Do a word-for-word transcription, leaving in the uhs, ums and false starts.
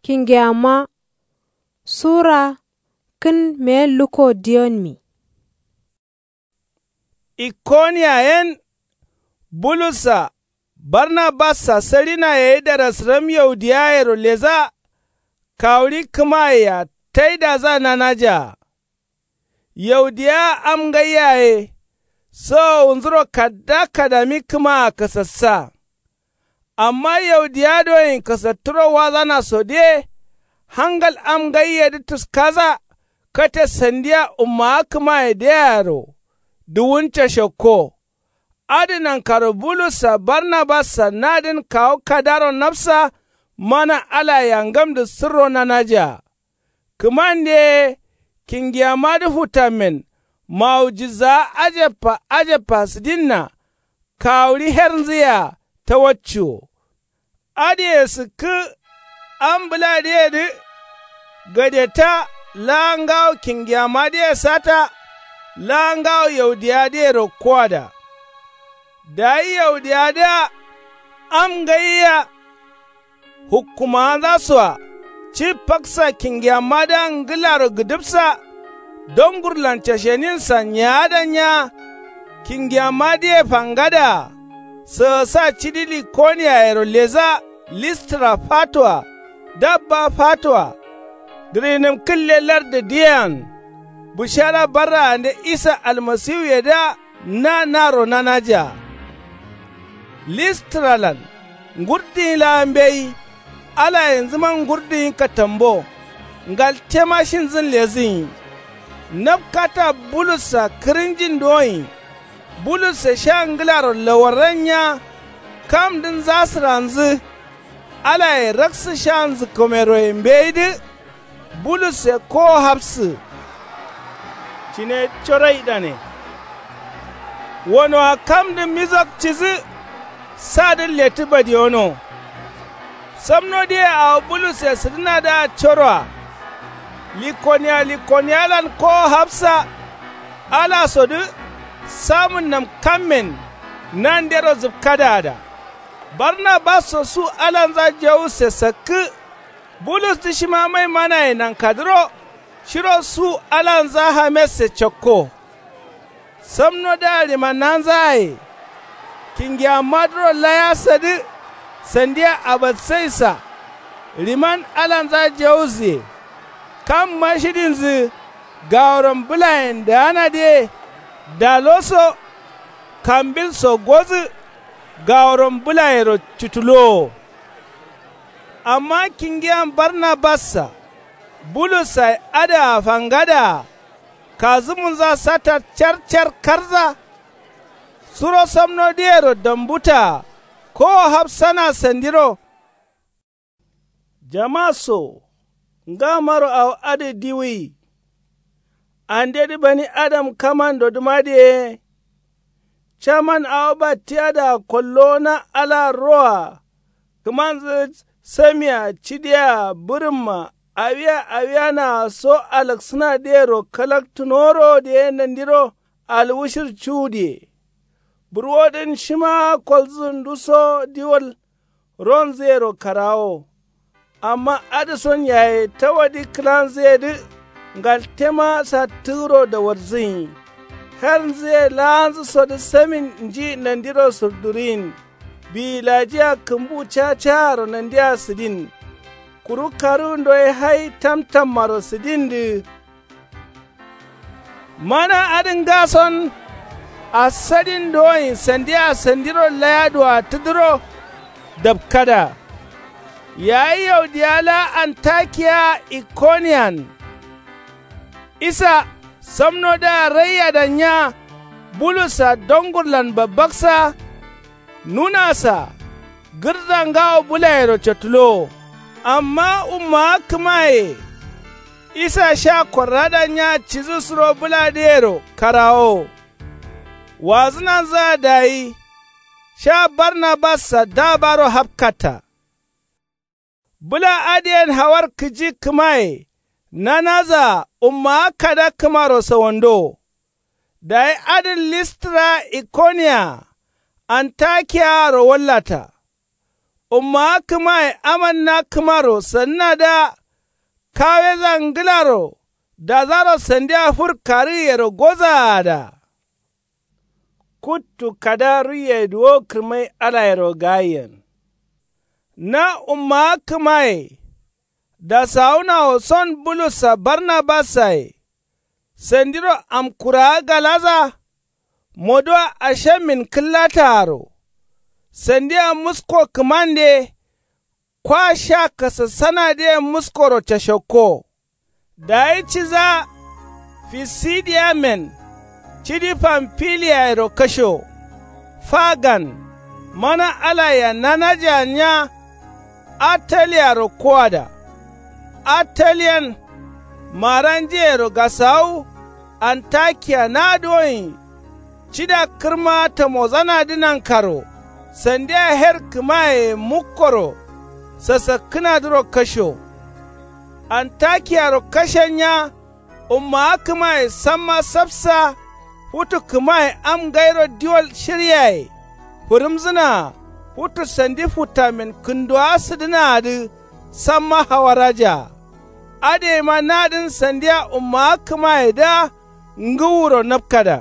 Kingiyamma sura kǝn meyen lukko diyonmi. Ikkoniya yen bulussa barnabassa sarina yayi darasǝram yaudiyayero leza. Kawuri kǝmayea taidaza nanajaa. Yaudiya am ngaiya ye sawowunzuro kada kadami kǝmaa kasassa. Amma yaudiya doyin kasatturo wazana sode hangal am ngaiyedǝ tuskaza. Kate sandiya ummawa kǝmaye deyaro duwun cashakko. Adǝ nankaro bulussa barnabassa nadǝn kawu kadaro nafsa mana alaye angamdǝ sǝrro nanajaa. Kǝmande ye kingiyammadǝ futammen mawujizawa ajabba ajabba sǝdinna. Kawuri hernzǝyea tawacciwo. Adǝye sǝkkǝ am bǝladǝyedǝ gadeta laa ngawo kingiyammadǝye sata. Laa ngawo yaudiyawadǝye rokkoada. Dayi yaudiyawadǝa am ngaiya hukkumawanzasoa ci paksa kingiyammadǝa ngǝlaro gǝdǝpsa. Dongurlan casheninsa nyaada nya. Kingiyammadǝye fangadaa sǝgǝsa cidi likoniyayero leza. Listra fatoa dabba fatoa dǝrinǝm kǝlle lardǝ diyean. Bǝshara barraande isa almasiwuyedǝa na naro nanajaa. Listralan ngurdǝnyi laa mbeyi. Alayenzǝma ngurdǝnyi katambo. Ngaltema shinzǝn lezǝnyi. Nabkata bulussa kǝrǝnjin doyin. Bulusse sha ngǝlaro lawarran nya. Kamdǝn zasǝranzǝ. Alaye raksǝ sha nzǝkkomeroye mbeyidǝ. Bulusse kowo hapsǝ cine coroidane. Wonoa kamdǝ mizok cidǝ sadǝ lettǝ badiyono. Samnodǝye awo bulusse sǝdǝnadǝa coroa. Likoniya likoniyalan kowo hapsa. Alasodǝ samǝnnam kammen nandero zǝpkadaada. Barnabasso su alanza jawusse sakkǝ. Bulusdǝ shima maimanaye nankadǝro shiro su alanza hamesse cakko. Samnodǝa ɍimannanzaye kingiyammadǝro layasadǝ sandia abatsaisa. Ɍiman alanza jawuziye. Kamma shidinzǝ gaworam bǝlayen daanadǝye. Dalo so kambil so godǝ. Gaworam bǝlayero cutulowo. Amma kingiyan barnabassa bulussa ye adǝa fangadaa. Kazǝmunza satta car car karza. Suro samnodǝyero dambutaa kowo hapsana sandiro. Jama so ngamaro awo adǝ diwuyi. Andedǝ bani adam kamandodǝmadǝ ye. Caman awo battiyadaa kollowo na ala roa. Kǝmanzǝ samia cidia bǝrǝmma awiya awiyanaa so alaksǝnadǝyero kalaktunorodǝ ye nandiro. Alwushir cuwudǝye burwodǝn shima kolzǝ nduso diwal. Ronzǝyero karawo. Amma adǝson yaye tawadi kǝlanzǝyedǝ. Ngaltema sattǝgǝro dawarzǝnyi. Hernzǝye laanzǝsodǝ samin nji nandiro surduriyin. Biyilajiya kǝmbu cacaaro nandia sǝdin. Kuru karuwundo ye hai tamtammaro sǝdindǝ. Mana adǝ ngason asadin doyin sandia sandiro layaduwa tǝdǝro. Dapkada yayi yaudiya laa antakiya ikoniyan. Isa samnodǝa raiyadan nya. Bulussa dongurlan babbaksa nunasa gǝrza ngawo bǝlayero catulowo. Amma ummawa kǝmaye isa sha korradan nya cidǝ suro bǝladǝyero karawowo. Wazǝnanzǝa dayi sha barnabassa dabaro hapkatta. Bǝla adǝyen hawar kǝji kǝmaye nanazaa ummawa kada kǝmaro sawandowo. Dayi adǝn listra ikoniya antakiyaaro wallata. Ummawa kǝmaye amanna kǝmaro sannadǝa kaweza ngǝlaro dazaro sandia fur karǝgǝyero gozaada. Kuttu kada ruiye duwo kǝrmai alayero gaiyen. Na ummawa kǝmaye dasawunawo son bulussa barnabassaye sandiro amkurawa galaza moduwa ashammin kǝllataaro sandia musko kǝmande. Kwa sha kasassanadǝyen muskoro cashokko dayi ciza fisidiyamen cidi famfiliyayero kasho fagan mana alayea nanajeannya. Attaliyaro koada attaliyan maranjeyero gasawu antakiya nadǝ woin cida kǝrma tamozanadǝ nankaro sandia her kǝmayeye mukkoro sasakkǝnadǝro kasho. Antakiyaro kashennya ummawa kǝmaye samma sapsa futu kǝmaye am ngairo diwol shiryaye fǝrǝmzǝnaa futu sandi futtamin kǝnduwawa sǝdǝnaadǝ samma hawarajaa. Adǝyeima nadǝn sandia ummawa kǝmayedǝa ngǝwuro napkada.